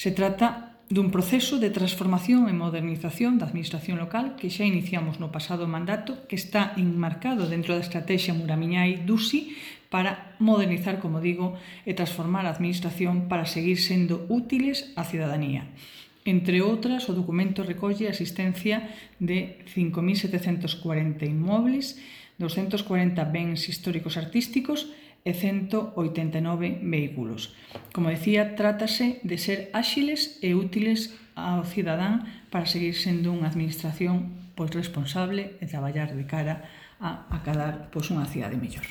Se trata dun proceso de transformación e modernización da administración local que xa iniciamos no pasado mandato, que está enmarcado dentro da estrategia Muramiñai-Dusi para modernizar, como digo, e transformar a administración para seguir sendo útiles á cidadanía. Entre outras, o documento recolle a asistencia de 5.740 inmobles, 240 bens históricos artísticos e 189 vehículos. Como decía, trátase de ser áxiles e útiles ao cidadán para seguir sendo unha administración responsable e traballar de cara a acadar unha cidade mellor.